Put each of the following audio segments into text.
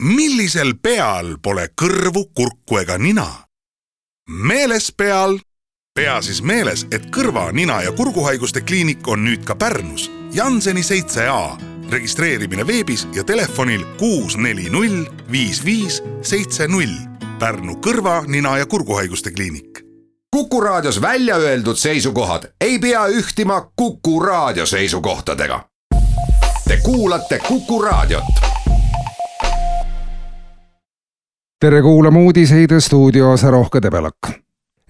Millisel peal pole kõrvu, kurku ega nina? Meeles peal. Pea siis meeles, et kõrva-, nina- ja kurguhaiguste kliinik on nüüd ka Pärnus. Janseni 7A. Registreerimine veebis ja telefonil 640 5570. Pärnu kõrva-, nina- ja kurguhaiguste kliinik. Kuku Raadios välja öeldud seisukohad ei pea ühtima Kuku Raadio seisukohtadega. Te kuulate Kuku Raadiot. Tere kuulama uudiseid stuudios Rohke Debelak.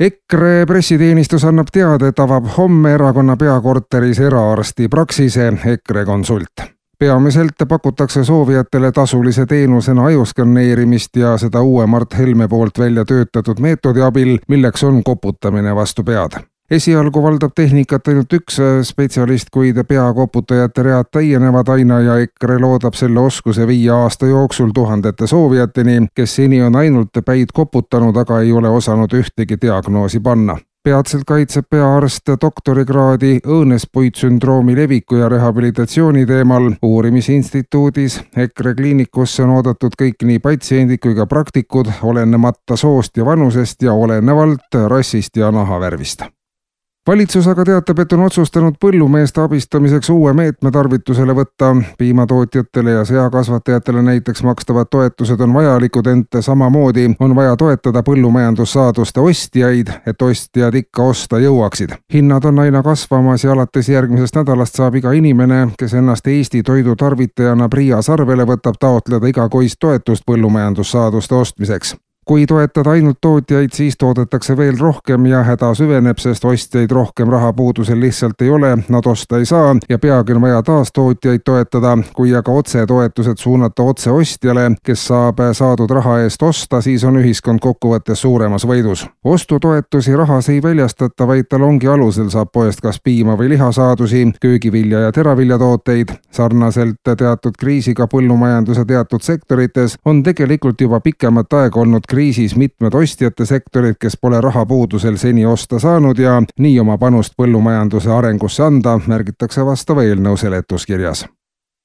EKRE pressiteenistus annab teada, et avab homme erakonna peakorteris eraarsti praksise EKRE Consult. Peamiselt pakutakse soovijatele tasulise teenusena ajuskanneerimist ja seda uue Mart Helme poolt välja töötatud meetodi abil, milleks on koputamine vastu pead. Esialgu valdab tehnikat ainult üks spetsialist, kuid peakoputajate read täienevad aina ja EKRE loodab selle oskuse 5 aasta jooksul tuhandete soovijateni, kes seni on ainult päid koputanud, aga ei ole osanud ühtegi diagnoosi panna. Peatselt kaitseb peaarst doktorikraadi õõnespuitsündroomi leviku ja rehabilitatsiooni teemal uurimisinstituudis. EKRE kliinikusse on oodatud kõik nii patsiendid kui ka praktikud, olenemata soost ja vanusest ja olenevalt rassist ja nahavärvist. Valitsus aga teatab, et on otsustanud põllumeeste abistamiseks uue meetme tarvitusele võtta. Piimatootjatele ja seakasvatajatele näiteks makstavad toetused on vajalikud, ent samamoodi on vaja toetada põllumajandussaaduste ostjaid, et ostjad ikka osta jõuaksid. Hinnad on aina kasvamas ja alates järgmisest nädalast saab iga inimene, kes ennast Eesti toidu tarvitajana PRIA sarvele võtab, taotleda igakuist toetust põllumajandussaaduste ostmiseks. Kui toetada ainult tootjaid, siis toodetakse veel rohkem ja häda süveneb, sest ostjaid rohkem rahapuudusel lihtsalt ei ole, nad osta ei saa ja peagi on vaja taas tootjaid toetada. Kui aga otsetoetused suunata otse ostjale, kes saab saadud raha eest osta, siis on ühiskond kokkuvõttes suuremas võidus. Ostutoetusi rahas ei väljastata, vaid talongi alusel saab poest kas piima või lihasaadusi, köögivilja ja teraviljatooteid. Sarnaselt teatud kriisiga põllumajanduse teatud sektorites on tegelikult juba pikemat aega olnud kriisis mitmed ostjate sektorid, kes pole rahapuudusel seni osta saanud ja nii oma panust põllumajanduse arengusse anda, märgitakse vastava eelnõu seletuskirjas.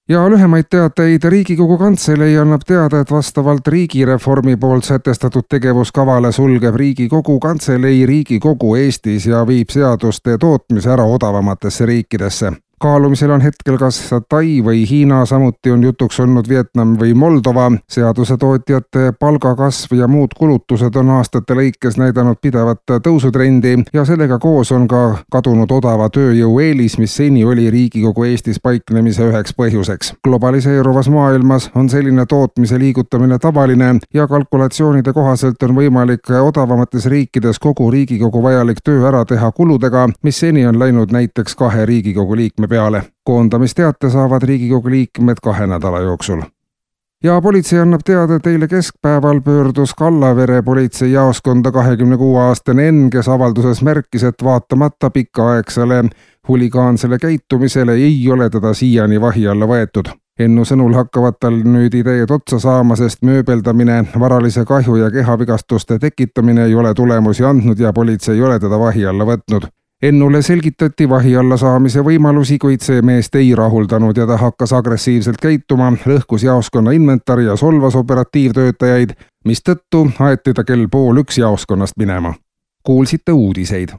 Ja lühemaid teateid Riigikogu Kantselei annab teada, et vastavalt riigireformi poolt sätestatud tegevuskavale sulgeb Riigikogu Kantselei Riigikogu Eestis ja viib seaduste tootmise ära odavamatesse riikidesse. Kaalumisel on hetkel kas Tai või Hiina, samuti on jutuks olnud Vietnam või Moldova. Seadusetootjate palgakasv ja muud kulutused on aastate lõikes näidanud pidevat tõusutrendi ja sellega koos on ka kadunud odava tööjõu eelis, mis seni oli Riigikogu Eestis paiknemise üheks põhjuseks. Globaliseeruvas maailmas on selline tootmise liigutamine tavaline ja kalkulatsioonide kohaselt on võimalik odavamates riikides kogu Riigikogu vajalik töö ära teha kuludega, mis seni on läinud näiteks 2 Riigikogu liikme peale. Koondamisteate saavad Riigikogu liikmed 2 nädala jooksul. Ja politsei annab teada, et eile keskpäeval pöördus Kallavere politseijaoskonda 26-aastane N, kes avalduses märkis, et vaatamata pikaaegsele huligaansele käitumisele ei ole teda siiani vahi alla võetud. Ennu sõnul hakkavad tal nüüd ideed otsa saama, sest mööbeldamine, varalise kahju ja kehavigastuste tekitamine ei ole tulemusi andnud ja politsei ei ole teda vahi alla võtnud. Ennule selgitati vahi alla saamise võimalusi, kuid see meest ei rahuldanud ja ta hakkas agressiivselt käituma, lõhkus jaoskonna inventari ja solvas operatiivtöötajaid, mistõttu aeti ta kell 12:30 jaoskonnast minema. Kuulsite uudiseid.